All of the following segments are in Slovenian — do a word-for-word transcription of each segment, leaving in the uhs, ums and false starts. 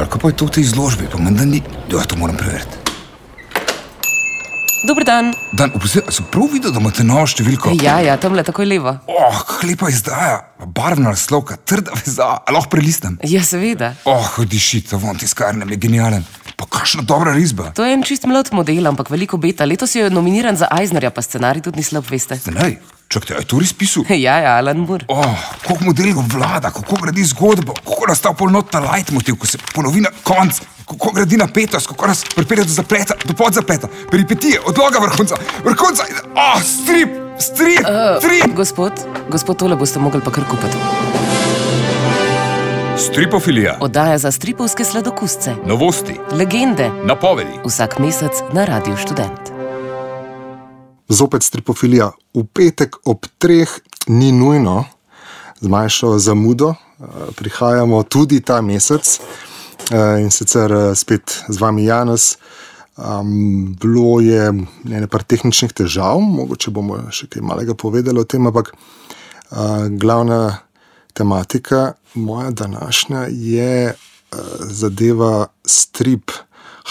Sandra, kaj pa je to v tej izložbi? Pa menda ni... Ja, to moram preveriti. Dober dan. Dan, oprosti, sem prav videl, da imate novo številko? Ja, ja, tamle takoj levo. Oh, kak lepa izdaja. Barvna naslovka, trda veza. A lahko prelistam? Ja, seveda. Oh, diši, ta von tiskarnem je genialen. Pa kakšna dobra risba. To je en čist mlad model, ampak veliko beta. Letos je nominiran za Eisnerja, pa scenarij tudi ni slab, veste. Scenarij? Čakajte, a je to res pisal? Ja, ja, Alan Moore. Oh, koliko modelov vlada, kako gradi zgodbo, kako nastav polnotna leitmotiv, ko se ponovi na konc, kako gradi napetost, kako nas pripelje do zapleta, do podzapleta, peripetije, odloga vrhunca, vrhunca, oh, strip, strip, Uh, strip. gospod, gospod, tole boste mogli pa kar kupiti. Stripofilija. Oddaja za stripovske sladokusce. Novosti. Legende. Napovedi. Vsak mesec na Radiu Študent. Zopet stripofilija. V petek ob treh ni nujno, z manjšo zamudo. Prihajamo tudi ta mesec in sicer spet z vami Janez. Um, bilo je nekaj tehničnih težav, mogoče bomo še kaj malega povedali o tem, ampak uh, glavna tematika moja današnja je uh, zadeva strip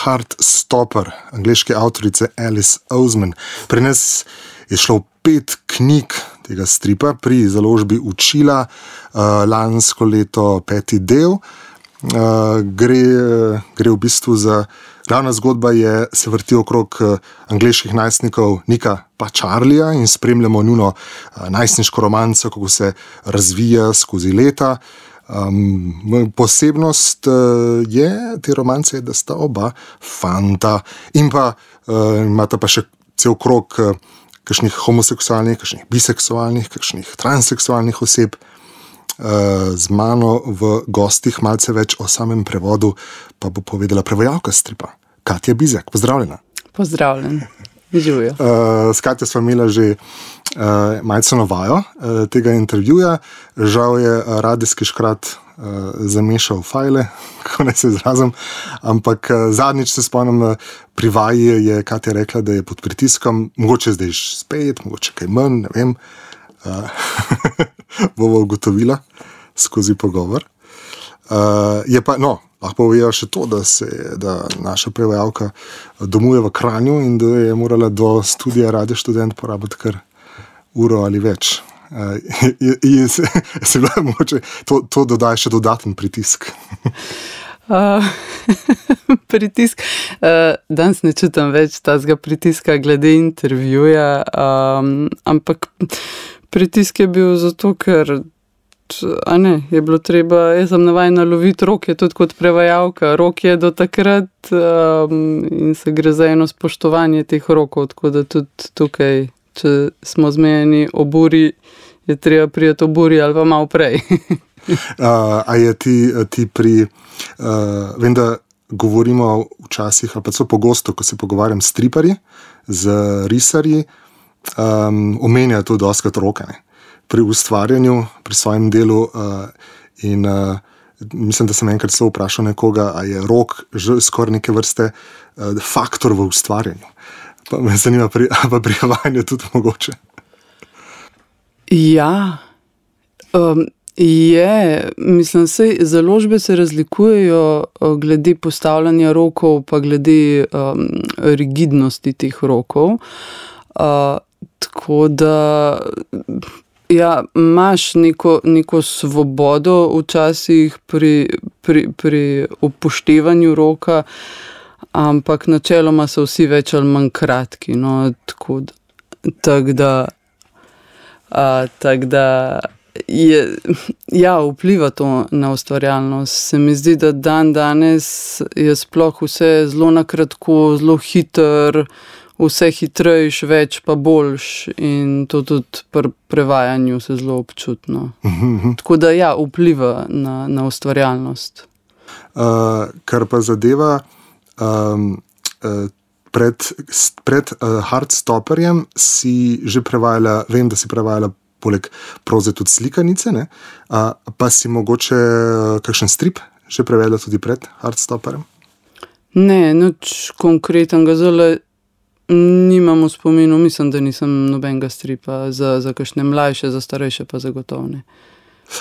Heartstopper, angleške avtorice Alice Oseman. Pri nas je šlo pet knjig tega stripa pri založbi Učila, uh, lansko leto peti del. Uh, gre, gre v bistvu za, glavna zgodba je, se vrti okrog uh, angleških najstnikov Nika pa Charlieja in spremljamo njuno uh, najstniško romanco, kako se razvija skozi leta. Um, posebnost uh, je te romance, da sta oba fanta in pa uh, imata pa še cel krog uh, kakšnih homoseksualnih, kakšnih biseksualnih, kakšnih transseksualnih oseb. Uh, z mano v gostih malce več o samem prevodu pa bo povedala prevajalka stripa Katja Bizjak. Pozdravljena. Pozdravljen. Živijo. Uh, s Katjo smo imeli že uh, malce novajo uh, tega intervjuja. Žal je radijski škrat uh, zamešal fajle, kako naj se izrazim, ampak uh, zadnjič se spomnim, uh, pri vaji je Katja rekla, da je pod pritiskom, mogoče zdaj spet, mogoče kaj manj, ne vem. Uh, bomo ugotovila skozi pogovor. Uh, je pa, no, lahko povedo še to, da, se, da naša prevajalka domuje v Kranju in da je morala do studija Radio Študent porabiti kar uro ali več. Uh, in se, se bila mogoče, to, to dodaja še dodaten pritisk. Uh, pritisk. Uh, danes ne čutim več tazga pritiska glede intervjuja, um, ampak pritisk je bil zato, ker a ne, je bilo treba, jaz sem navajena loviti roke, tudi kot prevajalka. Rok je do takrat um, in se gre za eno spoštovanje teh rokov, tako da tudi tukaj, če smo zmejeni o buri, je treba prijeti o buri ali pa malo prej. uh, a je ti, ti pri, uh, vem, da govorimo včasih, ali pa so pogosto, ko se pogovarjam s striparji, z risarji, um, omenjajo to dostakrat roke, ne? Pri ustvarjanju, pri svojem delu uh, in uh, mislim, da sem enkrat celo vprašal nekoga, a je rok že skoraj neke vrste uh, faktor v ustvarjanju. Pa me zanima, pri, pa pri vajanju tudi mogoče. Ja, um, je, mislim, sej založbe se razlikujejo glede postavljanja rokov, pa glede um, rigidnosti teh rokov. Uh, tako da ja, imaš neko, neko svobodo včasih pri, pri, pri upoštevanju roka, ampak načeloma so vsi več ali manj kratki. No, tako da, tak da, a, tak da je, ja, vpliva to na ustvarjalnost. Se mi zdi, da dan danes je sploh vse zelo na kratko, zelo hiter, vse hitrejš, več pa boljš in to tudi pri prevajanju se zelo občutno. Mm-hmm. Tako da ja, vpliva na, na ustvarjalnost. Uh, kar pa zadeva um, uh, pred, pred uh, Heartstopperjem si že prevajala, vem, da si prevajala poleg proze tudi slikanice, ne? Uh, pa si mogoče uh, kakšen strip že prevedla tudi pred Heartstopperjem? Ne, nič konkretnega, zelo nimam v spominu, mislim, da nisem nobenega stripa za, za kakšne mlajše, za starejše pa zagotovo ne.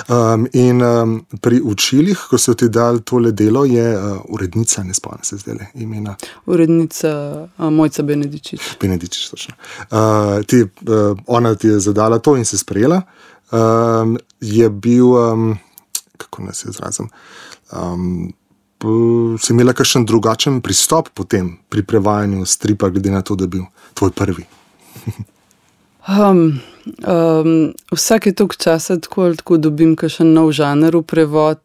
Um, in um, pri učilih, ko so ti dali tole delo, je uh, urednica, ne spomnim se zdaj imena. Urednica uh, Mojca Benedičič. Benedičič, točno. Uh, ti, uh, ona ti je zadala to in se sprejela. Um, je bil, um, kako naj se izrazim, um, si imela kakšen drugačen pristop potem pri prevajanju stripa, glede na to, da je bil tvoj prvi? Um, um, vsake toliko časa tako ali tako dobim kakšen nov žanr v prevod,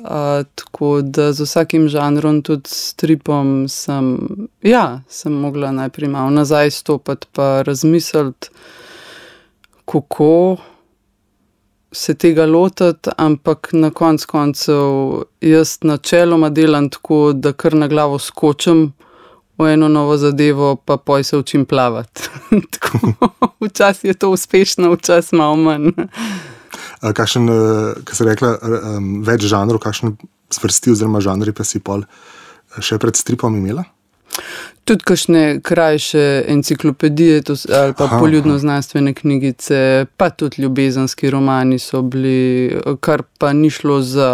uh, tako da z vsakim žanrom, tudi stripom, sem, ja, sem mogla najprej malo nazaj stopati pa razmisliti, kako se tega lotiti, ampak na konc koncev jaz načeloma delam tako, da kar na glavo skočim v eno novo zadevo, pa poj se učim plavati. Včasih je to uspešno, včasih malo manj. Kakšen, kaj se rekla, več žanrov, kakšen zvrsti oziroma žanri pa si pol še pred stripom imela? Tudi kakšne krajše enciklopedije to, ali pa poljudno-znanstvene knjigice, pa tudi ljubezenski romani so bili, kar pa ni šlo za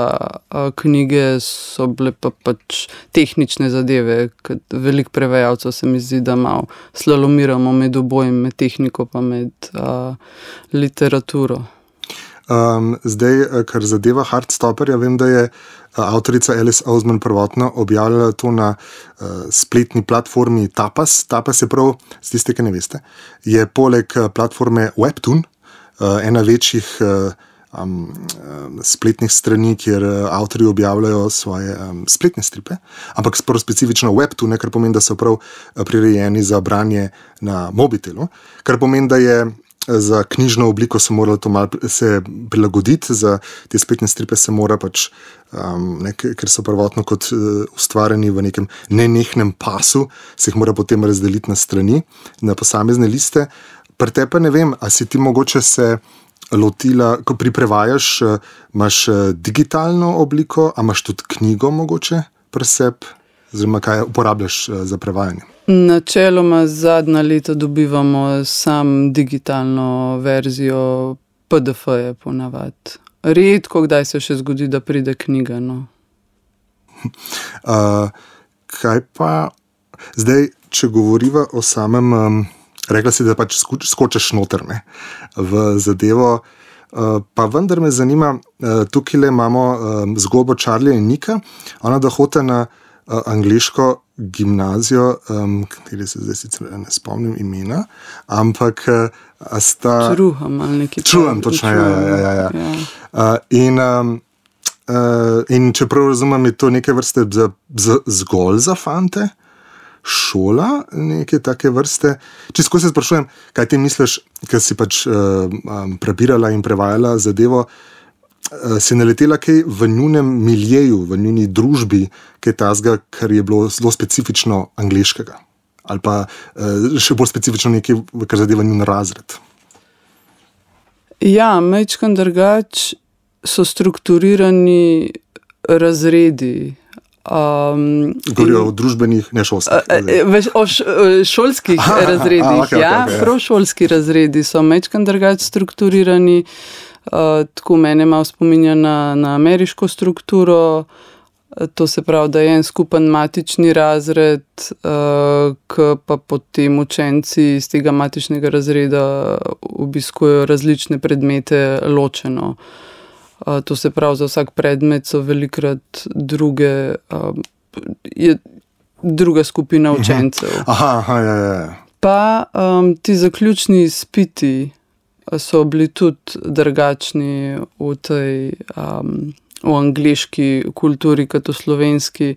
knjige, so bile pa pač tehnične zadeve, ker veliko prevajalcev se mi zdi, da malo slalomiramo med obojem, med tehniko pa med a, literaturo. Um, zdaj, kar zadeva Heartstopperja, vem, da je avtorica Alice Oseman prvotno objavljala to na uh, spletni platformi Tapas. Tapas je prav, z tiste, ki ne veste, je poleg platforme Webtoon, uh, ena večjih uh, um, um, spletnih strani, kjer avtorji objavljajo svoje um, spletne stripe, ampak prav specifično Webtoon, kar pomeni, da so prav prirejeni za branje na mobitelu, kar pomeni, da je za knjižno obliko se mora to malo se prilagoditi, za te spletne stripe se mora pač, um, ne, ker so prvotno kot uh, ustvarjeni v nekem nenehnem pasu, se jih mora potem razdeliti na strani, na posamezne liste. Pri te pa ne vem, a si ti mogoče se lotila, ko priprevajaš, uh, imaš uh, digitalno obliko, a imaš tudi knjigo mogoče pri sebi, oziroma kaj uporabljaš uh, za prevajanje? Načeloma zadnja leta dobivamo sam digitalno verzijo P D F-je ponavadi. Redko kdaj se še zgodi, da pride knjiga. No. Uh, kaj pa zdaj, če govoriva o samem, um, rekla si, da pač skočiš noter, ne, v zadevo, uh, pa vendar me zanima, uh, tukaj le imamo um, zgodbo Charlie in Nika, ona da hote na uh, angleško gimnazijo, um, kateri se zdaj sicer ne spomnim imena, ampak uh, sta... Čruham ali nekaj. Čruham, točno, ja, ja, ja, ja. ja. Uh, in, um, uh, in čeprav razumem, je to neke vrste za, za, zgolj za fante, šola, neke take vrste. Čisto se sprašujem, kaj ti misliš, ker si pač uh, um, prebirala in prevajala zadevo, si naletela kaj v njunem miljeju, v njuni družbi, kaj tazga, kar je bilo zelo specifično angleškega? Ali pa še bolj specifično nekaj, kar zadeva njun razred? Ja, majčkan drugač so strukturirani razredi. Um, Govorijo in, o družbenih, ne šolskih. Uh, o š, šolskih aha, razredih, aha, okay, ja. Okay, okay, prav šolski razredi so majčkan drugač strukturirani. Uh, tako mene malo spominja na, na ameriško strukturo, uh, to se pravi, da je en skupen matični razred, uh, ki pa potem učenci iz tega matičnega razreda obiskujejo različne predmete ločeno. Uh, to se pravi, za vsak predmet so velikrat druge, uh, je druga skupina učencev. Aha, aha, ja, ja. Pa um, ti zaključni izpiti so bili tudi drugačni v tej um, v angleški kulturi kot v slovenski,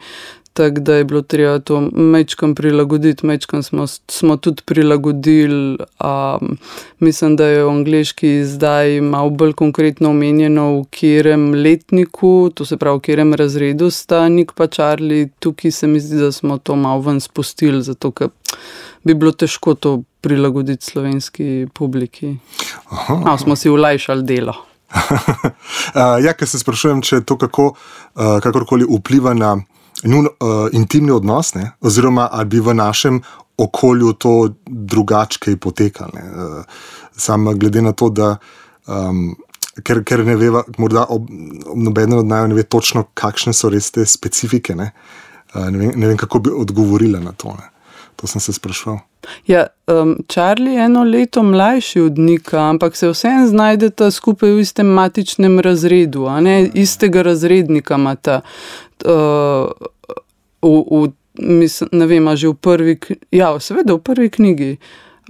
tako da je bilo treba to majčkam prilagoditi, majčkam smo, smo tudi prilagodili. Um, mislim, da je v angleški zdaj malo bolj konkretno omenjeno, v katerem letniku, to se pravi, v katerem razredu sta Nik pa Charlie. Tukaj se mi zdi, da smo to malo ven spustili, zato ker bi bilo težko to prilagoditi slovenski publiki. Malo smo si olajšali delo. uh, ja, ker se sprašujem, če to kako, uh, kakorkoli vpliva na njun uh, intimni odnos, ne? Oziroma, ali bi v našem okolju to drugačkej potekalo. Uh, sam glede na to, da um, ker, ker ne veva, morda ob, ob nobeden od naju ne ve točno, kakšne so res te specifike. Ne, uh, ne, vem, ne vem, kako bi odgovorila na to. Ne. To sem se sprašval. Ja, um, Charlie je eno leto mlajši od Nika, ampak se vseeno znajdeta skupaj v istem matičnem razredu, a ne, istega razrednika imata. Uh, v, v, mislim, ne vem, a že v prvi, ja, seveda v prvi knjigi,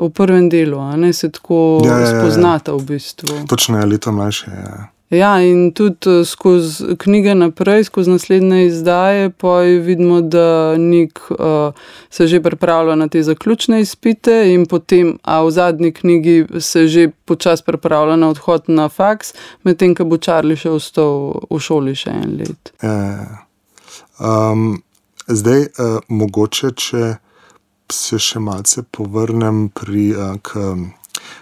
v prvem delu, a ne, se tako Ja, ja, ja, ja. spoznata v bistvu. Točno je leto mlajše. Ja. Ja, in tudi skozi knjige naprej, skozi naslednje izdaje, pa vidimo, da Nik uh, se že pripravlja na te zaključne izpite in potem, a v zadnji knjigi se že počas pripravlja na odhod na faks, medtem, ko bo Charlie še ostal v šoli še en let. Ja. Um, zdaj, uh, mogoče, če se še malce povrnem pri, uh, k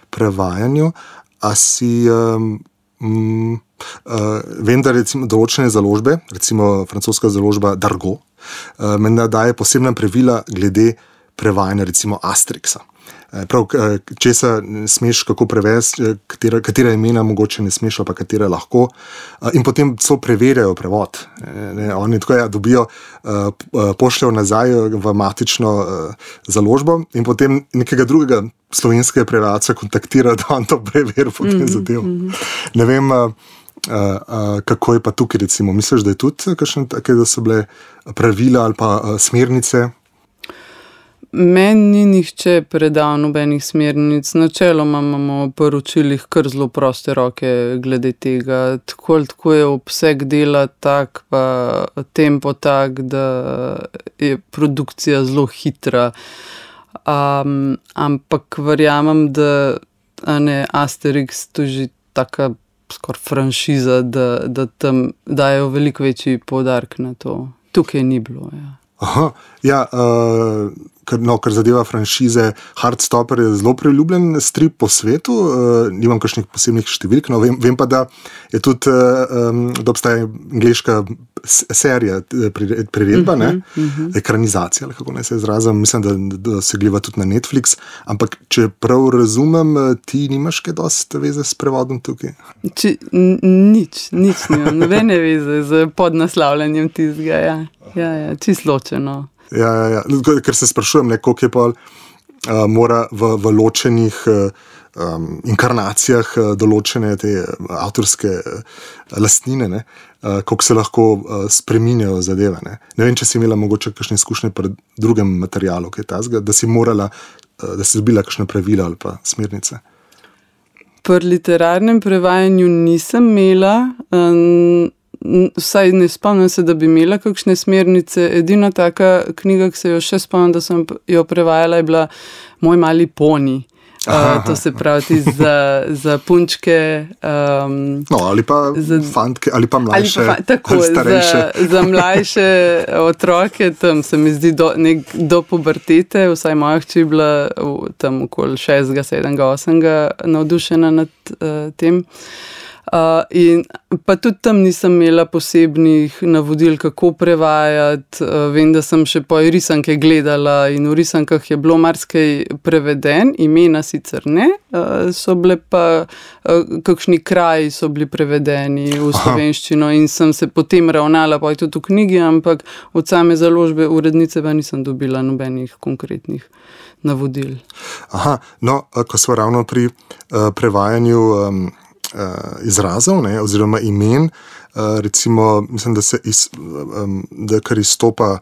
prevajanju, a si... Um, Mm, uh, vem, da recimo določene založbe, recimo francoska založba Dargaud, uh, menda daje posebna pravila glede prevajanja recimo Asteriksa. Uh, prav, uh, česa ne smeš kako prevesti, katera, katera imena mogoče ne smeš, pa katera lahko. Uh, in potem so preverjajo prevod. Ne, oni tako ja, dobijo, uh, pošljajo nazaj v matično uh, založbo in potem nekega drugega slovenskega prevajalca kontaktira, da on to preveri potem mm-hmm. zadev. Ne vem, uh, uh, kako je pa tukaj recimo. Misliš, da je tudi kakšne take, da so bile pravila ali pa uh, smernice? Meni ni nihče predal nobenih smernic. Načeloma imamo v poročilih kar zelo proste roke glede tega. Tako ali tako je obseg dela tak, pa tempo tak, da je produkcija zelo hitra. Um, ampak verjamem, da a ne, Asterix to že taka skoraj franšiza, da, da tam dajo veliko večji poudarek na to. Tukaj ni bilo, ja. Aha, ja, uh, kar, no, kar zadeva franšize, Heartstopper je zelo priljubljen strip po svetu, uh, nimam kakšnih posebnih številk, no, vem, vem pa, da je tudi, uh, um, da obstaja angleška serija, priredba, uh-huh, ne, uh-huh. ekranizacija, ali kako naj se izrazim, mislim, da, da se gleda tudi na Netflix, ampak če prav razumem, ti nimaš kaj dosti veze s prevodom tukaj? Či, n- nič, nič nimam, nobene veze z podnaslavljanjem tizga, ja. Ja, ja, čisto ločeno. Ja, ja, ja. Ker se sprašujem, ne, koliko je pa uh, mora v, v ločenih uh, um, inkarnacijah uh, določene te avtorske uh, lastnine, ne, uh, koliko se lahko uh, spreminjajo zadeve. Ne. ne vem, če si imela mogoče kakšne izkušnje pri drugem materialu, kaj tazga, da si morala, uh, da si dobila kakšne pravila ali pa smernice. Pri literarnem prevajanju nisem imela, um, vsaj ne spomnim se, da bi imela kakšne smernice. Edina taka knjiga, ki se jo še spomnim, da sem jo prevajala, je bila Moj mali poni. Uh, to se pravi za, za punčke. Um, no, ali pa za, fantke, ali pa mlajše, ali, pa, tako, ali starejše. Za, za mlajše otroke, tam se mi zdi do, nek, do pubertete, vsaj moja hči je bila tam okoli šestega, sedmega, osmega navdušena nad uh, tem. Uh, in pa tudi tam nisem imela posebnih navodil, kako prevajati. Uh, vem, da sem še po risanke gledala in v risankah je bilo marsikaj preveden, imena sicer ne, uh, so bile pa uh, kakšni kraji so bili prevedeni v slovenščino in sem se potem ravnala pa tudi v knjigi, ampak od same založbe urednice pa nisem dobila nobenih konkretnih navodil. Aha, no, ko smo ravno pri uh, prevajanju um, Uh, izrazov, ne, oziroma imen, uh, recimo, mislim, da se iz, um, da kar izstopa,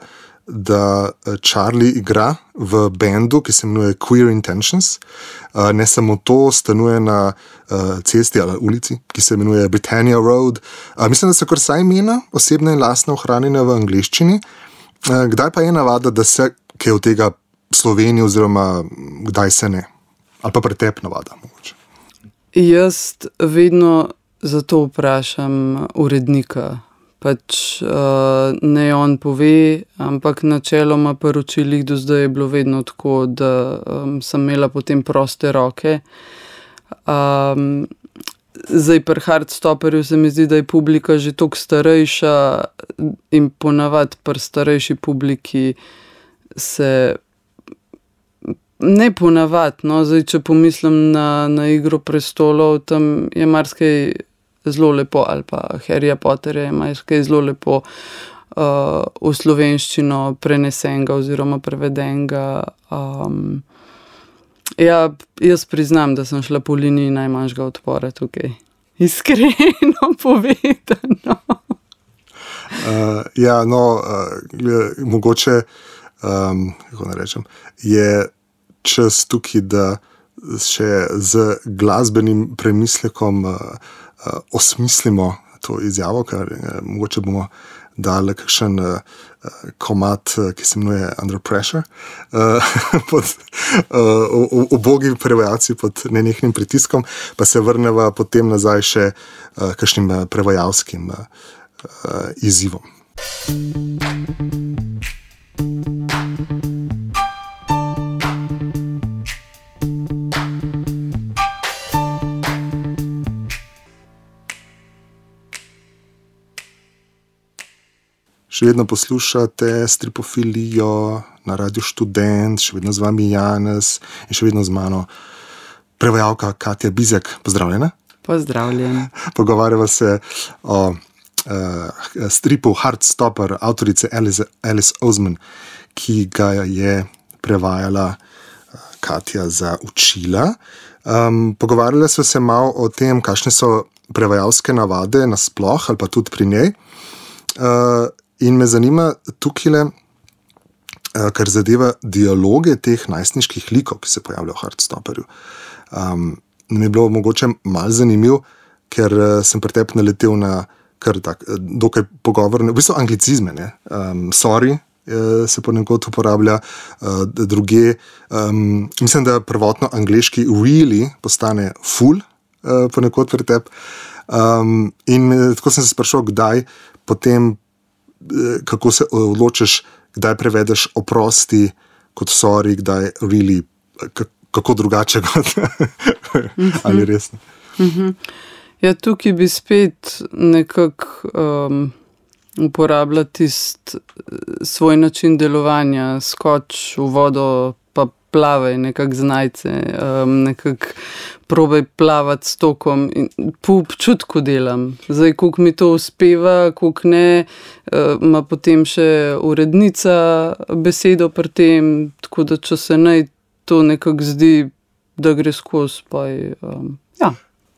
da Charlie igra v bendu, ki se imenuje Queer Intentions. Uh, ne samo to, stanuje na uh, cesti ali ulici, ki se imenuje Britannia Road. Uh, mislim, da so kar vsa imena osebne in lastne ohranjene v angleščini. Uh, kdaj pa je navada, da se kaj od tega Sloveniji, oziroma kdaj se ne? Ali pa pretep navada, mogoče. Jaz vedno zato vprašam urednika. Pač uh, ne on pove, ampak načeloma poročilih do zdaj je bilo vedno tako, da um, sem imela potem proste roke. Um, zdaj pri Heartstopperju se mi zdi, da je publika že toliko starejša in ponavadi pri starejši publiki se ne ponavadi, no, zdaj, če pomislim na, na Igro prestolov, tam je marsikaj zelo lepo, ali pa Harryja Potterja ima kaj zelo lepo uh, v slovenščino prenesenega oziroma prevedenega. Um, ja, jaz priznam, da sem šla po liniji najmanjšega odpora tukaj. Iskreno povedano. Uh, ja, no, uh, mogoče, um, kako ne rečem, je čas tukaj, da še z glasbenim premislekom uh, uh, osmislimo to izjavo, ker uh, mogoče bomo dali kakšen uh, komad, uh, ki se imenuje Under Pressure, uh, pod uh, ubogi prevajalci pod nenehnim pritiskom, pa se vrneva potem nazaj še uh, kakšnim uh, prevajalskim uh, uh, izzivom. Še vedno poslušate Stripofilijo na Radiu Študent, še vedno z vami Janez in še vedno z mano prevajalka Katja Bizjak. Pozdravljena. Pozdravljen. Pogovarjava se o uh, stripu Heartstopper avtorice Alice, Alice Oseman, ki ga je prevajala uh, Katja za učila. Um, pogovarjala sva se malo o tem, kakšne so prevajalske navade nasploh ali pa tudi pri njej. Uh, In me zanima tukaj, kar zadeva dialoge teh najstniških likov, ki se pojavljajo v Heartstopperju. Um, mi je bilo mogoče malo zanimiv, ker sem pri tebi naletel na kar tak, dokaj pogovorne, v bistvu anglicizme, ne. Um, sorry se ponekod uporablja, uh, druge. Um, mislim, da prvotno angleški really postane full uh, ponekod pri tebi. Um, in tako sem se sprašal, kdaj potem kako se odločiš, kdaj prevedeš oprosti kot sorry, kdaj really, kako drugače kot ali resno. Ja, tukaj bi spet nekako um, uporabljal tist svoj način delovanja, skoč v vodo, pa plavaj nekako znajce, um, nekako probaj plavati s tokom in po občutku delam. Zdaj, koliko mi to uspeva, koliko ne, ima uh, potem še urednica besedo pri tem, tako da če se naj to nekako zdi, da gre skozi, pa je, um, ja.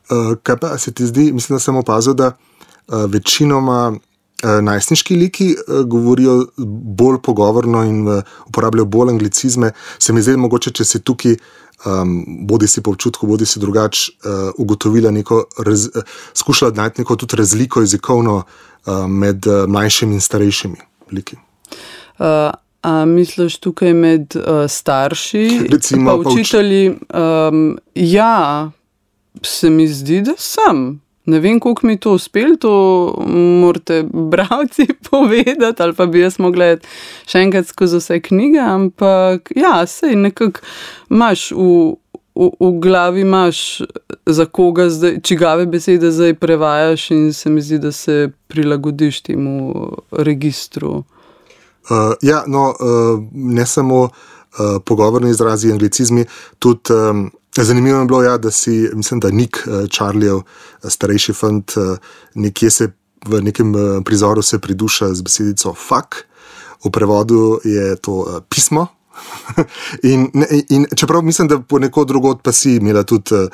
Uh, kaj pa se ti zdi, mislim, da sem opazil, da uh, večinoma uh, najstniški liki uh, govorijo bolj pogovorno in uh, uporabljajo bolj anglicizme. Se mi zdi mogoče, če se tukaj Um, bodi si po občutku, bodi si drugač uh, ugotovila neko, raz, uh, skušala najti neko tudi razliko jezikovno uh, med uh, mlajšimi in starejšimi liki. Uh, a misliš tukaj med uh, starši, recimo, pa učitelji? Um, ja, se mi zdi, da sem. Ne vem, koliko mi to uspel, to morate bralci povedati, ali pa bi jaz mogla še enkrat skozi vse knjige, ampak ja, sej nekako imaš v, v, v glavi, imaš za koga zdaj, čigave besede zdaj prevajaš in se mi zdi, da se prilagodiš temu registru. Uh, ja, no, uh, ne samo uh, pogovorni izrazi, anglicizmi, tudi um, zanimivo je bilo, ja, da si, mislim, da Nick, Charliejev starejši fant, nekje se v nekem prizoru se priduša z besedico fuck, v prevodu je to pismo. in, in čeprav mislim, da ponekod drugod pa si imela tudi uh,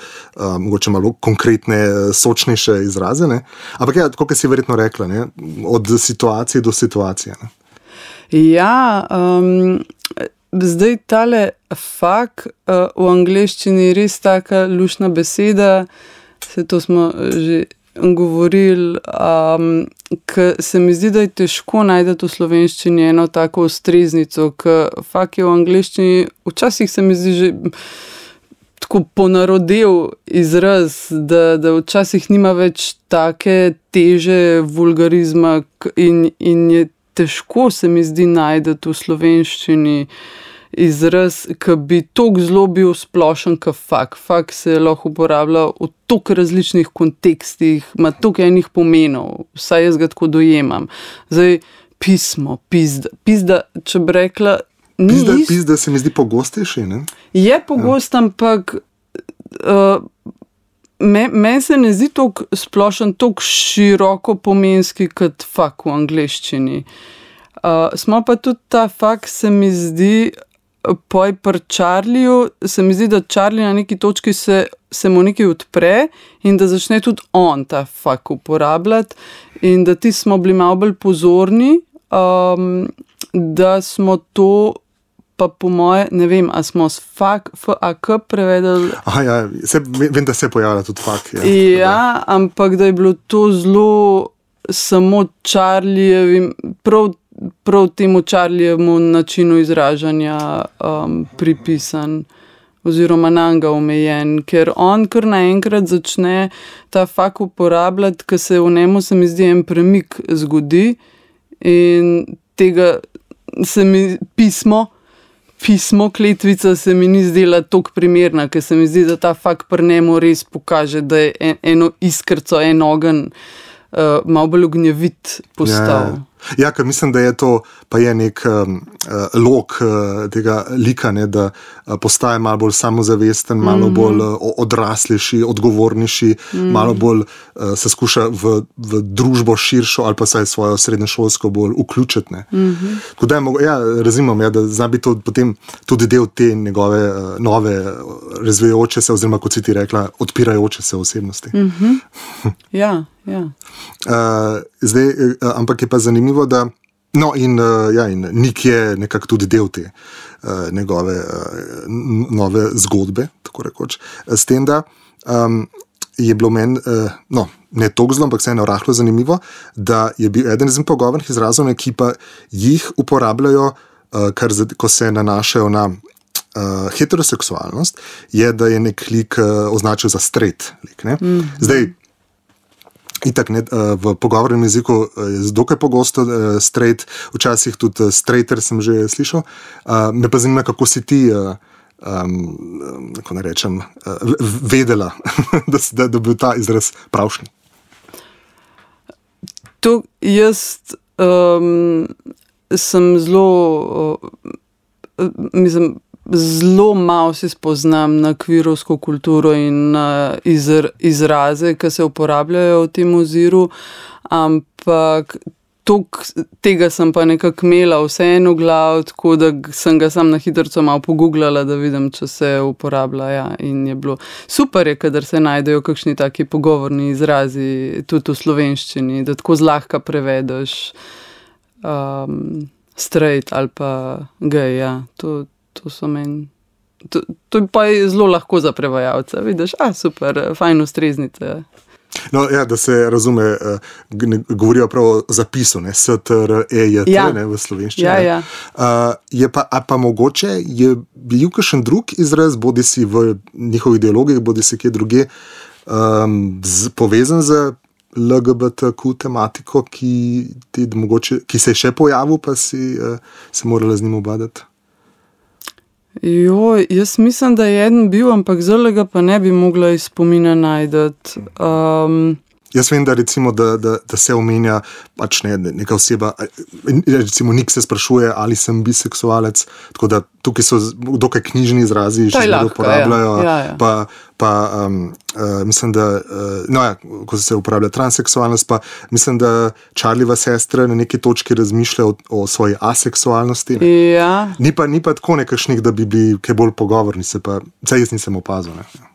mogoče malo konkretne, sočnejše izraze, ne? Ampak ja, tako, kot si verjetno rekla, ne? Od situacije do situacije. Ne? Ja, um, zdaj tale fuck uh, v angleščini je res taka lušna beseda, se to smo že govorili, um, ker se mi zdi, da je težko najti v slovenščini eno tako ustreznico, ker fuck je v angleščini, včasih se mi zdi že tako ponarodel izraz, da, da včasih nima več take teže vulgarizma in, in je težko se mi zdi najti v slovenščini izraz, ki bi toliko zelo bil splošen, kot fuck. Fuck se lahko uporablja v toliko različnih kontekstih, ima toliko enih pomenov, vsaj jaz ga tako dojemam. Zdaj, pismo, pizda, pizda, če bi rekla, ni pizda, ist... pizda se mi zdi pogostejši, ne? Je pogost, ja. Ampak uh, Meni me se ne zdi tako splošen, tako široko pomenski kot fak v angleščini. Uh, smo pa tudi ta fak, se mi zdi, poj pri Charlieju, se mi zdi, da Charlie na neki točki se, se mu nekaj odpre in da začne tudi on ta fak uporabljati in da ti smo bili malo bolj pozorni, um, da smo to pa po moje, ne vem, a smo s fak, fak prevedeli. Aha, ja, se, vem, da se pojavlja tudi fak. Ja, ja ampak da je bilo to zelo samo Charliejevim, prav, prav temu Charliejevemu načinu izražanja um, pripisan oziroma nanga omejen, ker on kar naenkrat začne ta fak uporabljati, ker se v njemu, se mi zdi, en premik zgodi in tega se mi pismo Pismo, kletvica se mi ni zdela toliko primerna, ker se mi zdi, da ta fak pri njemu res pokaže, da je en, eno iskrco, en ogen uh, malo bolj ognjevit postal. Ja, ja, ker mislim, da je to pa je nek um, lok uh, tega lika, ne, da uh, postaje malo bolj samozavesten, malo mm-hmm. bolj uh, odraslejši, odgovornejši, mm-hmm. malo bolj uh, se skuša v, v družbo širšo ali pa saj svojo srednješolsko bolj vključiti. Mm-hmm. Tako da ja, razumem, ja, da zna biti to potem tudi del te njegove uh, nove razvijajoče se, oziroma kot si ti rekla, odpirajoče se osebnosti. Mm-hmm. Ja, ja. Uh, zdaj, uh, ampak je pa zanimivo, da no in, uh, ja, in Nik je nekako tudi del te uh, njegove uh, nove zgodbe, tako rekoč, s tem, da um, je bilo meni, uh, no, ne toliko zelo, ampak vseeno rahlo zanimivo, da je bil eden izmed pogovornih izrazov, ki pa jih uporabljajo, uh, kar zad, ko se nanašajo na uh, heteroseksualnost, je, da je nek lik uh, označil za straight lik. Ne? Mm. Zdaj, itak, ne, v pogovornem jeziku je dokaj pogosto uh, straight, včasih tudi straighter sem že slišal. Uh, me pa zanima, kako si ti, uh, um, kako ne rečem, uh, vedela, da, da, da bi bil ta izraz pravšnji. To jaz um, sem zelo, uh, mislim, zelo malo se spoznam na kvirovsko kulturo in na izr, izraze, ki se uporabljajo v tem oziru, ampak tok, tega sem pa nekako imela vseeno v glav, tako da sem ga sam na hitrco malo pogooglala, da vidim, če se uporablja. Ja. In je bilo super, je, kadar se najdejo kakšni taki pogovorni izrazi tudi v slovenščini, da tako zlahka prevedeš um, straight ali pa gej. Ja. To To, meni, to, to pa je zelo lahko za prevajalca. Vidiš, a super, fajn ustreznice. No, ja, da se razume, ne, govorijo prav o zapisu, ne, S T R E J T, ja. Ne, v slovenščini. Ja, ja. Uh, je pa, a pa mogoče je bil kakšen drug izraz, bodi si v njihovih dialogih, bodi si kje druge, um, z, povezan z L G B T Q tematiko, ki, ti, mogoče, ki se je še pojavil, pa si uh, se morala z njim obadati? Jo, jaz mislim, da je eden bil, ampak zelo ga pa ne bi mogla iz spomina najdati. Um, Jaz vem, da, recimo, da, da, da se omenja pač ne, neka oseba, recimo Nik se sprašuje, ali sem biseksualec, tako da tukaj so dokaj knjižni izrazi, še zelo uporabljajo, ja. Ja, ja. pa, pa um, uh, mislim, da, uh, no ja, ko se uporablja transseksualnost, pa mislim, da Charlieva sestra na neki točki razmišlja o, o svoji aseksualnosti. Ja. Ni pa, ni pa tako nekakšnih, da bi bili kaj bolj pogovorni, se pa, saj jaz nisem opazil, ne.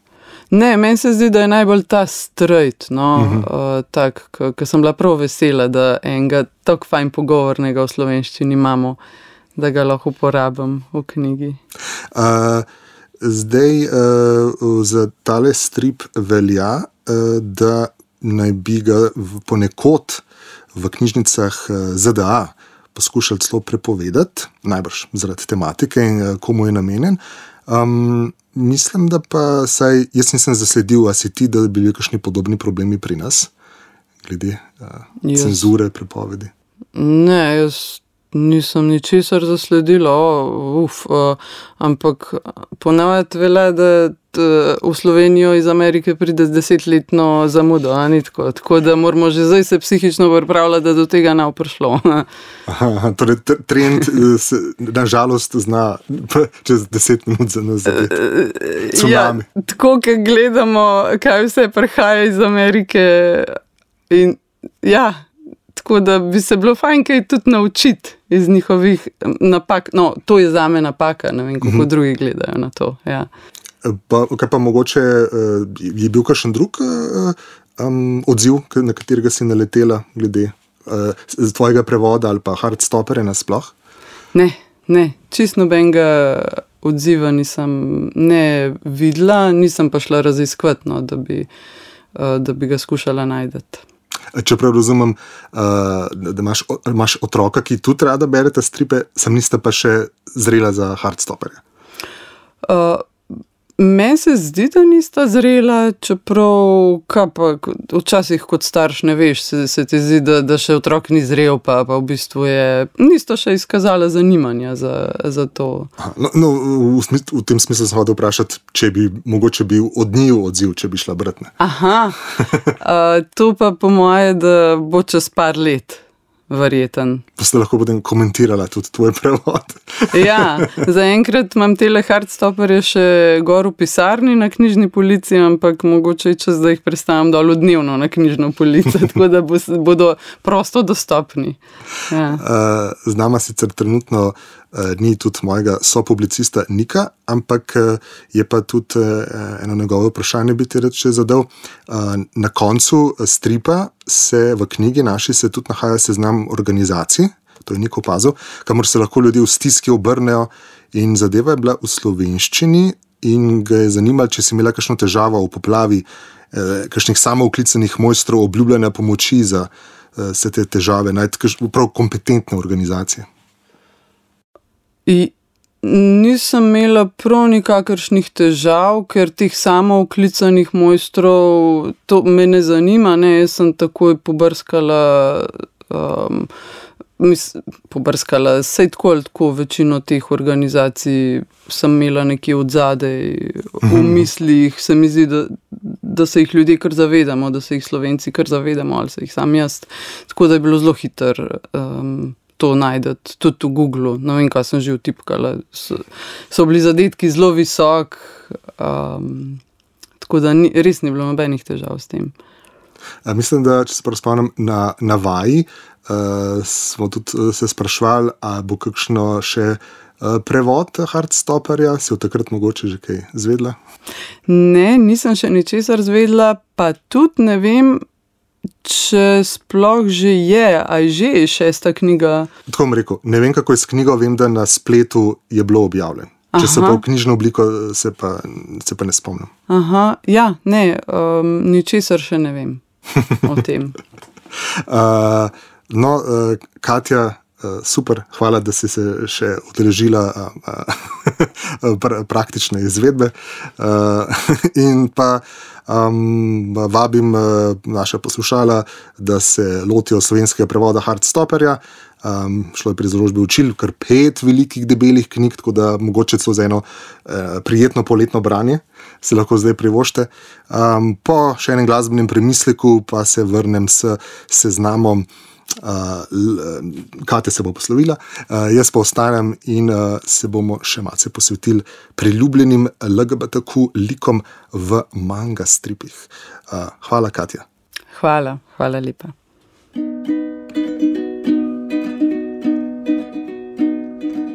Ne, meni se zdi, da je najbolj ta straight, no, uh-huh. uh, tak, ker sem bila prav vesela, da enega tako fajn pogovornega v slovenščini imamo, da ga lahko uporabim v knjigi. Uh, zdaj, uh, za tale strip velja, uh, da naj bi ga ponekod v knjižnicah Z D A poskušali celo prepovedati, najbrž zaradi tematike in uh, komu je namenjen. Um, mislim, da pa saj, jaz nisem zasledil, a si ti, da bi bili kakšni podobni problemi pri nas, glede uh, yes. cenzure, prepovedi. Ne, jaz nisem ničesar zasledila, oh, uf, uh, ampak ponavadi velja, da t, v Slovenijo iz Amerike pride z desetletno zamudo, a ni tako. Tako da moramo že zdaj se psihično pripravljati, da do tega ne bo prišlo. Aha, torej trend se nažalost zna čez deset minut za nas zadeti. Tsunami. Ja, tako, ko gledamo, kaj vse prihaja iz Amerike in ja, tako da bi se bilo fajn kaj tudi naučiti iz njihovih napak. No, to je zame napaka, ne vem, kako mm-hmm. drugi gledajo na to. Ja. Pa, kaj pa mogoče, je bil kakšen drug um, odziv, na katerega si naletela glede uh, tvojega prevoda ali pa Heartstopperja nasploh? Ne, ne, čist nobenega odziva nisem ne videla, nisem pa šla raziskovati, no, da bi, uh, da bi ga skušala najdeti. Čeprav razumem, da imaš, imaš otroka, ki tudi rada berete stripe, sam niste pa še zrela za Heartstopperja. Uh, Meni se zdi, da nista zrela, čeprav kaj pa, včasih kot starš ne veš, se, se ti zdi, da, da še otrok ni zrel, pa, pa v bistvu je, nista še izkazala zanimanja za, za to. No, no v, smislu, v tem smislu sem hotel vprašati, če bi mogoče bil od njiju odziv, če bi šla bratne. Aha, uh, to pa po moje, da bo čez par let. Verjeten. Pa ste lahko potem komentirala tudi tvoj prevod. Ja, zaenkrat imam tele Heartstopperje še gor v pisarni na knjižni polici, ampak mogoče čas, da jih predstavim dol dnevno na knjižno polico, tako da bo, bodo prosto dostopni. Ja. Uh, z nama sicer trenutno uh, ni tudi mojega sopublicista Nika, ampak uh, je pa tudi uh, eno njegovo vprašanje bi ti rad še zadal. Uh, na koncu stripa se v knjigi naši se tudi nahaja seznam organizacij, to je Nik opazil, kamor se lahko ljudje v stiski obrnejo in zadeva je bila v slovenščini in ga je zanimalo, če si imela kakšno težavo v poplavi, eh, kakšnih samooklicanih mojstrov obljubljanja pomoči za eh, vse te težave, najti prav kompetentne organizacije. I nisem imela prav nikakršnih težav, ker teh samooklicanih mojstrov, to me ne zanima, ne, jaz sem takoj pobrskala, um, mis, pobrskala, sej tako ali tako večino teh organizacij sem imela nekje od zadej v mislih, se mi zdi, da, da se jih ljudje kar zavedamo, da se jih Slovenci kar zavedamo, ali se jih sam jaz, tako da je bilo zelo hiter um, to najdete, tudi v Googlu, ne vem, kaj sem že vtipkala, so, so bili zadetki zelo visok, um, tako da ni, res ni bilo nobenih težav s tem. A mislim, da, če se prav spomnim, na, na vaji uh, smo tudi se sprašvali, a bo kakšno še uh, prevod Heartstopperja, si v takrat mogoče že kaj zvedla? Ne, nisem še ničesar zvedla, pa tudi ne vem, če sploh že je, a je že šesta knjiga. Tako bom rekel, ne vem, kako je s knjigo, vem, da na spletu je bilo objavljen. Če se pa v knjižno obliko, se pa, se pa ne spomnim. Aha, ja, ne, um, ničesar še ne vem o tem. uh, no, uh, Katja, uh, super, hvala, da si se še udeležila uh, uh, pra, praktične izvedbe. Uh, in pa Um, vabim uh, naša poslušala, da se lotijo slovenskega prevoda Heartstopperja. Um, šlo je pri založbi Učil, kar pet velikih debelih knjig, tako da mogoče celo za eno uh, prijetno poletno branje se lahko zdaj privoščite. Um, po še enem glasbenem premisleku pa se vrnem s seznamom. Uh, Katja se bo poslovila, uh, jaz pa ostanem in uh, se bomo še malce posvetili priljubljenim L G B T Q likom v manga stripih. Uh, hvala, Katja. Hvala, hvala lepa.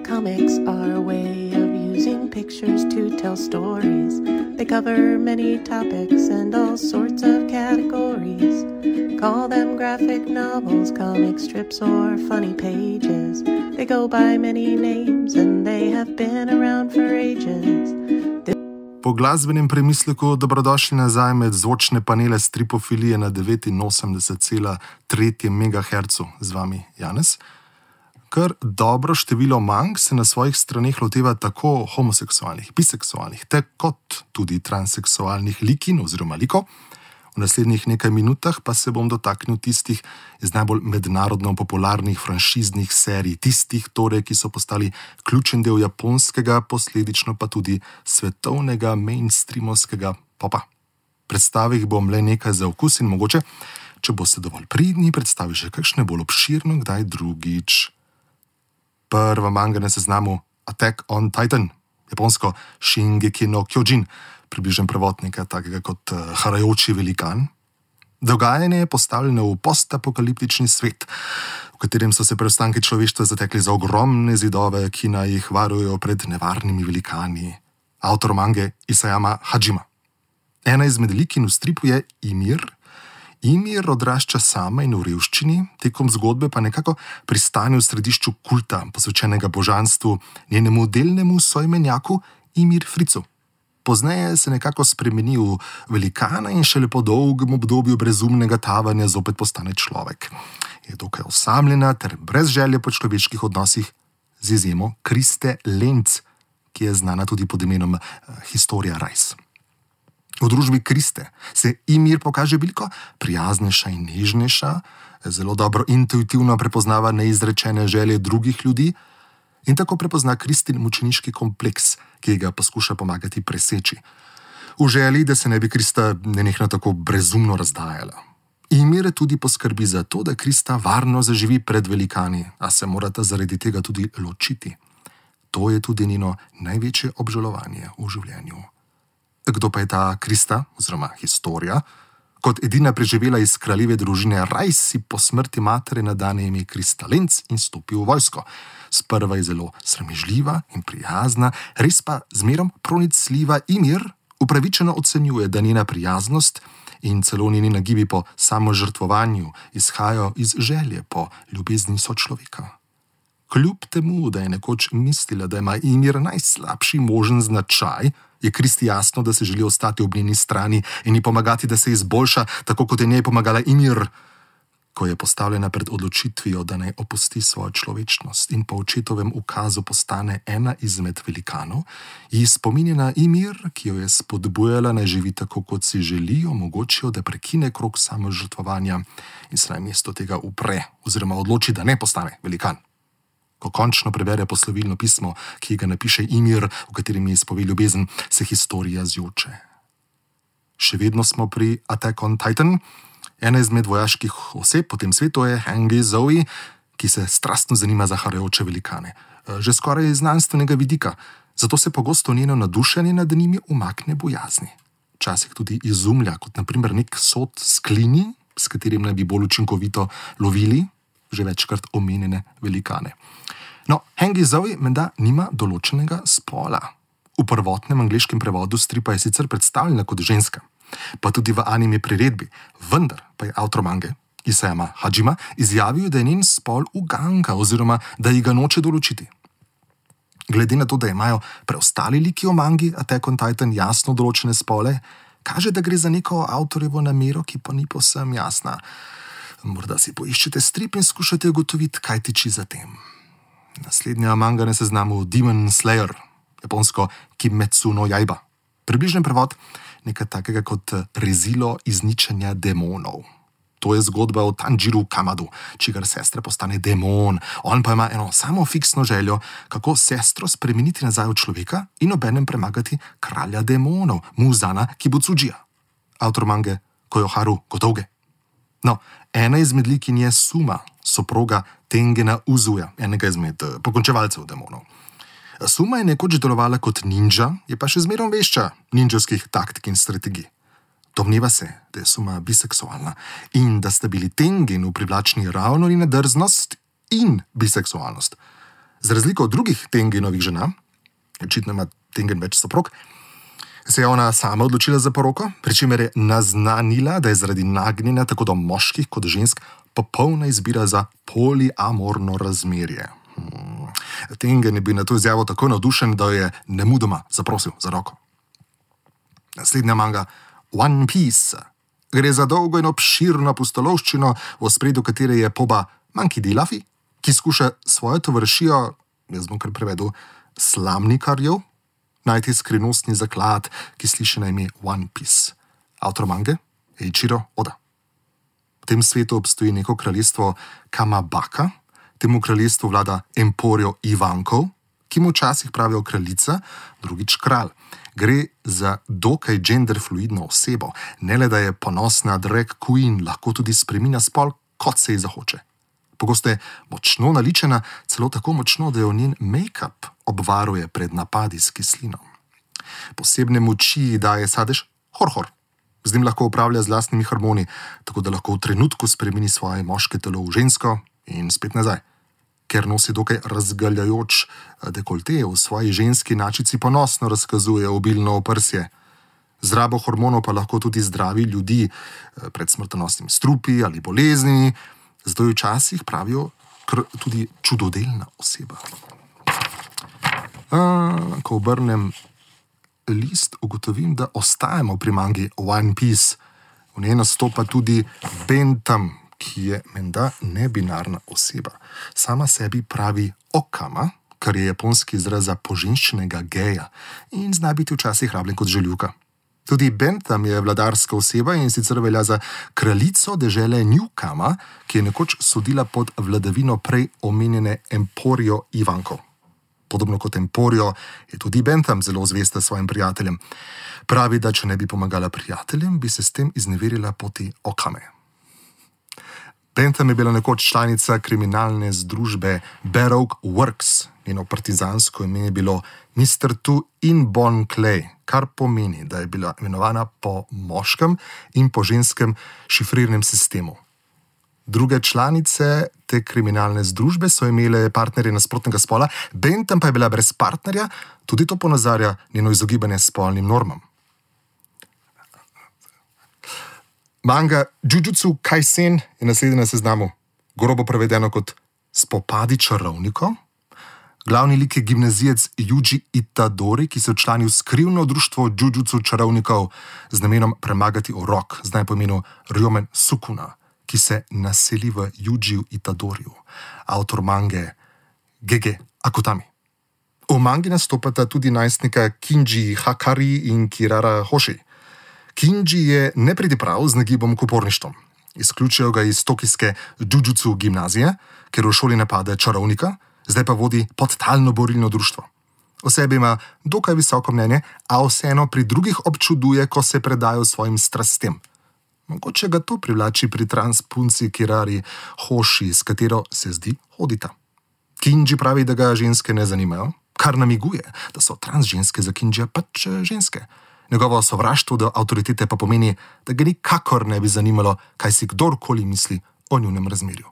Comics are a way of using pictures to tell stories. They cover many topics and all sorts of categories. Call them graphic novels, comic strips, or funny pages. They go by many names and they have been around for ages. This Po glasbenem premisleku dobrodošli nazaj med zvočne panele stripofilije na devetinosemdeset cela tri megaherca z vami Janez. Kar dobro število mang se na svojih straneh loteva tako homoseksualnih, biseksualnih, te kot tudi transseksualnih likin oziroma likov. V naslednjih nekaj minutah pa se bom dotaknil tistih iz najbolj mednarodno popularnih franšiznih serij, tistih torej, ki so postali ključen del japonskega, posledično pa tudi svetovnega mainstreamovskega popa. Predstavil jih bom le nekaj za okus in mogoče, če boste dovolj pridni, predstavi še kakšne bolj obširno, kdaj drugič. Prva manga na seznamu Attack on Titan, japonsko Shingeki no Kyojin, približen prevod nekaj takega kot uh, harajoči velikan. Dogajanje je postavljeno v postapokaliptični svet, v katerem so se preostanki človeštva zatekli za ogromne zidove, ki naj jih varujejo pred nevarnimi velikani. Avtor mange Isayama Hajima. Ena izmed likin v stripu je Ymir. Ymir odrašča sama in v revščini, tekom zgodbe pa nekako pristane v središču kulta, posvečenega božanstvu, njenemu delnemu soimenjaku Ymir Fricu. Pozneje se nekako spremeni v velikana in šele po dolgem obdobju brezumnega tavanja zopet postane človek. Je dokaj osamljena ter brez želje po človeških odnosih, z izjemo Kriste Lenz, ki je znana tudi pod imenom uh, Historia Rise. V družbi Kriste se Ymir pokaže veliko prijaznejša in nežnejša, zelo dobro intuitivno prepoznava neizrečene želje drugih ljudi in tako prepozna Kristin mučeniški kompleks, ki ga poskuša pomagati preseči. V želji, da se ne bi Krista nenehno tako brezumno razdajala. Ymir tudi poskrbi za to, da Krista varno zaživi pred velikani, a se morata zaradi tega tudi ločiti. To je tudi njeno največje obžalovanje v življenju. Kdo pa je ta Krista, oziroma Historia? Kot edina preživela iz kraljeve družine Rajs si po smrti matere nadane ime Krista Lenz in stopi v vojsko. Sprva je zelo sramežljiva in prijazna, res pa zmerom pronicljiva Ymir upravičeno ocenjuje, da njena prijaznost in celo njeni nagibi po samožrtvovanju izhajajo iz želje po ljubezni sočloveka. Kljub temu, da je nekoč mislila, da ima Ymir najslabši možen značaj, je Kristi jasno, da se želi ostati ob njeni strani in ji pomagati, da se izboljša, tako kot je njej pomagala Ymir, ko je postavljena pred odločitvijo, da naj opusti svojo človečnost in po očetovem ukazu postane ena izmed velikanov, ji spominjena Ymir, ki jo je spodbujala naj živi tako, kot si želi, omogočijo, da prekine krog samožrtvovanja in se na mesto tega upre oziroma odloči, da ne postane velikan. Ko končno prebere poslovilno pismo, ki ga napiše Ymir, v katerem je izpove ljubezen, se Historia zjoče. Še vedno smo pri Attack on Titan. Ena izmed vojaških oseb po tem svetu je Hangi Zoe, ki se strastno zanima za harajoče velikane. Že skoraj iz znanstvenega vidika, zato se pogosto njeno nadušenje nad njimi umakne bojazni. Včasih tudi izumlja, kot naprimer nek sod s klini, s katerim naj bi bolj učinkovito lovili že večkrat omenjene velikane. No, Hangi Zoe menda nima določenega spola. V prvotnem angleškem prevodu stripa je sicer predstavljena kot ženska, pa tudi v anime priredbi, vendar pa je avtor mange, Isayama Hajima, izjavil, da je njen spol uganka oziroma da ji ga noče določiti. Glede na to, da imajo preostali liki v mangi Attack on Titan jasno določene spole, kaže, da gre za neko avtorjevo namero, ki pa ni povsem jasna. Morda si poiščete strip in skušate ugotoviti, kaj tiči za tem. Naslednja manga na seznamu Demon Slayer, japonsko Kimetsu no Yaiba. Približen prevod nekaj takega kot rezilo izničenja demonov. To je zgodba o Tanjiru Kamadu, čigar sestra postane demon. On pa ima eno samo fiksno željo, kako sestro spremeniti nazaj v človeka in obenem premagati kralja demonov, Muzana Kibutsujija. Avtor mange Koyoharu Gotouge. No, ena izmed likin je Suma, soproga Tengena Uzuja, enega izmed pokončevalcev demonov. Suma je nekoč delovala kot ninja, je pa še zmerom vešča ninjovskih taktik in strategij. Domneva se, da je Suma biseksualna in da sta bili Tengenu privlačni ravno njena drznost in biseksualnost. Z razliko od drugih Tengenovih žena, očitno ima Tengen več soprog, se je ona sama odločila za poroko, pri čemer je naznanila, da je zaradi nagnjenja tako do moških kot žensk popolna izbira za poliamorno razmerje. Hmm. Tengen je bil na to izjavo tako navdušen, da je nemudoma zaprosil za roko. Naslednja manga One Piece. Gre za dolgo in obširno pustolovščino, v ospredju katere je poba Monkey D. Luffy, ki skuša svojo tovarišijo, jaz bom kar prevedel, slamnikarjev, najti skrivnostni zaklad, ki sliši na ime One Piece. Avtor mange Eiichiro Oda. V tem svetu obstoji neko kraljestvo Kamabaka, temu kraljestvu vlada Emporio Ivankov, ki mu včasih pravijo kraljica, drugič kralj. Gre za dokaj genderfluidno osebo, ne le da je ponosna drag queen, lahko tudi spreminja spol, kot se ji zahoče. Pogosto je močno naličena, celo tako močno, da jo njen make-up obvaruje pred napadi s kislino. Posebne moči ji daje sadež Horhor. Z njim lahko upravlja z lastnimi hormoni, tako da lahko v trenutku spremeni svoje moške telo v žensko in spet nazaj. Ker nosi dokaj razgaljajoč dekolte, v svoji ženski načici ponosno razkazuje obilno oprsje. Z rabo hormonov pa lahko tudi zdravi ljudi pred smrtonosnimi strupi ali boleznimi, zato jo včasih pravijo tudi čudodelna oseba. A, ko obrnem list, ugotovim, da ostajamo pri mangi One Piece. V njej nastopa tudi Bentham, ki je menda nebinarna oseba. Sama sebi pravi okama, kar je japonski izraz za poženščenega geja in zna biti včasih rabljen kot žaljivka. Tudi Bentham je vladarska oseba in sicer velja za kraljico dežele Newkama, ki je nekoč sodila pod vladavino prej omenjene Emporio Ivankov. Podobno kot Emporio je tudi Bentham zelo zvesta svojim prijateljem. Pravi, da če ne bi pomagala prijateljem, bi se s tem izneverila poti okame. Bentham je bila nekoč članica kriminalne združbe Baroque Works. Njeno partizansko ime je bilo mister Tu In Bon Clay, kar pomeni, da je bila imenovana po moškem in po ženskem šifrirnem sistemu. Druge članice te kriminalne združbe so imele partnerje nasprotnega spola, Bentham pa je bila brez partnerja, tudi to ponazarja njeno izogibanje spolnim normam. Manga Jujutsu Kaisen je naslednja na seznamu, grobo prevedeno kot Spopadi čarovnikov. Glavni lik je gimnazijec Yuji Itadori, ki se včlani v skrivno društvo Jujutsu čarovnikov z namenom premagati urok, zdaj po imenu Ryomen Sukuna, ki se naseli v Yujiju Itadoriju, avtor mange Gege Akutami. V mangi nastopata tudi najstnika Kinji Hakari in Kirara Hoshi. Kinji je nepridiprav z nagibom k uporništvom. Izključijo ga iz tokijske Jujutsu gimnazije, ker v šoli napade čarovnika, zdaj pa vodi podtalno borilno društvo. O sebi ima dokaj visoko mnenje, a vseeno pri drugih občuduje, ko se predajo svojim strastem. Mogoče ga to privlači pri transpunci Kirari Hoshi, s katero se zdi hodita. Kinji pravi, da ga ženske ne zanimajo, kar namiguje, da so trans ženske za Kinjija pač ženske. Njegovo sovraštvo do avtoritete pa pomeni, da ga nikakor ne bi zanimalo, kaj si kdorkoli misli o njunem razmerju.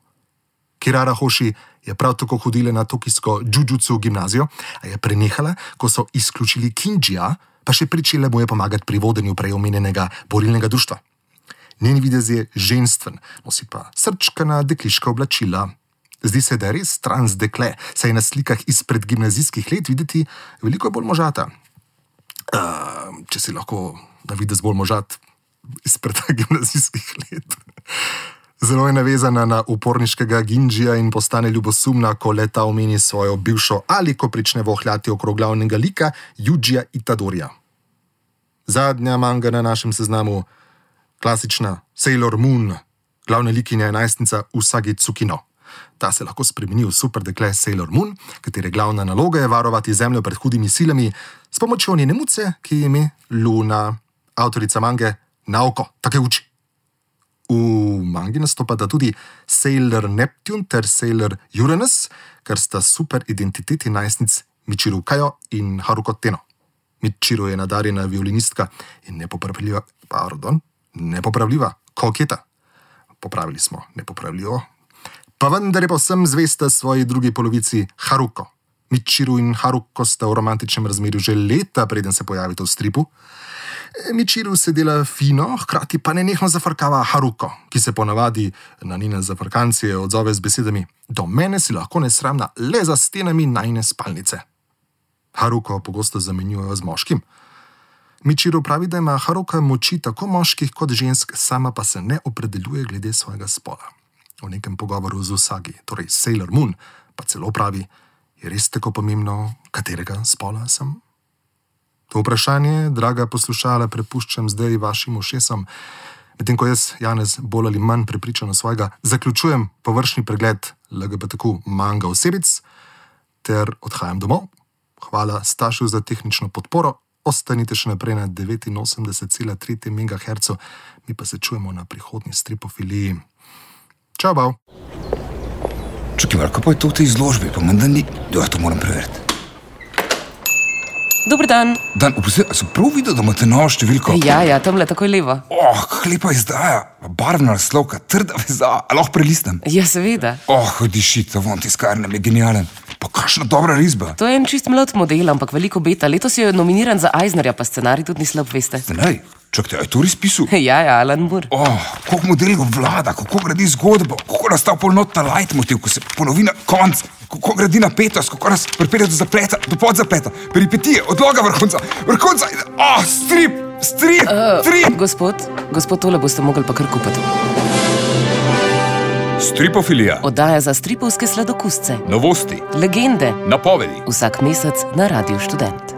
Kirara Hoshi je prav tako hodila na tokijsko Jujutsu gimnazijo, a je prenehala, ko so izključili Kinjija, pa še pričela mu je pomagati pri vodenju prej omenjenega borilnega društva. Njen videz je ženstven, nosi pa srčkana dekliška oblačila. Zdi se, da je res trans dekle, saj je na slikah izpred gimnazijskih let videti veliko bolj možata. Uh, če si lahko na videz bolj možat izpred gimnazijskih let. Zelo je navezana na uporniškega Ginjija in postane ljubosumna, ko leta omeni svojo bivšo ali ko prične vohljati okrog glavnega lika Yujija Itadorija. Zadnja manga na našem seznamu, klasična Sailor Moon, glavna likinja je najstnica Usagi Tsukino. Ta se lahko spremeni v super dekle Sailor Moon, katere glavna naloga je varovati zemljo pred hudimi silami s pomočjo njene muce, ki je ime Luna, avtorica mange Naoko Takeuchi. V mangi nastopata tudi Sailor Neptune ter Sailor Uranus, kar sta super identiteti najstnic Michiru Kajo in Haruko Teno. Michiru je nadarjena violinistka in nepopravljiva, pardon, nepopravljiva koketa. Popravili smo nepopravljivo. Pa vendar je povsem zvesta svoji drugi polovici Haruko. Michiru in Haruko sta v romantičnem razmerju že leta, preden se pojavita v stripu. Michiru se dela fino, hkrati pa nenehno zafrkava Haruko, ki se ponavadi na njene zafrkancije odzove z besedami: do mene si lahko nesramna le za stenami najine spalnice. Haruko pogosto zamenjujejo z moškim. Michiru pravi, da ima Haruka moči tako moških kot žensk, sama pa se ne opredeljuje glede svojega spola. V nekem pogovoru z Usagi, torej Sailor Moon, pa celo pravi: je res tako pomembno, katerega spola sem? To vprašanje, draga poslušala, prepuščam zdaj vašim ušesom. Medtem ko jaz, Janez, bolj ali manj prepričano svojega, zaključujem površni pregled L G B T Q manga osebic ter odhajam domov. Hvala Stašu za tehnično podporo. Ostanite še naprej na devetinosemdeset cela tri megaherca, mi pa se čujemo na prihodnji stripofiliji. Čau, bav! Čakaj, malo, kaj pa je to v tej izložbi, pa menda ni... Ja, to moram preveriti. Dober dan. Dan, oprosti, a sem prav videl, da imate novo številko? Ja, ja, tamle takoj levo. Oh, kak lepa izdaja, barvna naslovka, trda veza, a lahko prelistam? Ja, seveda. Oh, diši, ta von tiskarnem je genialen. Pa kakšna dobra risba. To je en čist mlad model, ampak veliko beta. Letos je nominiran za Eisnerja, pa scenarij tudi ni slab, veste. Scenarij? Čakajte, a je to res pisal? Ja, ja, Alan Moore. Oh, koliko modelov vlada, kako gradi zgodbo, kako nastal polnot ta leitmotiv, ko se ponovi na konc, kako gradi napetost, kako nas pripelje do zapleta, do podzapleta, peripetije, odloga vrhunca, vrhunca, oh, strip, strip, Uh, strip. gospod, gospod, tole boste mogli pa kar kupiti. Stripofilija, Oddaja za stripovske sladokusce. novosti, Legende. napovedi. Vsak mesec na Radiu Študent.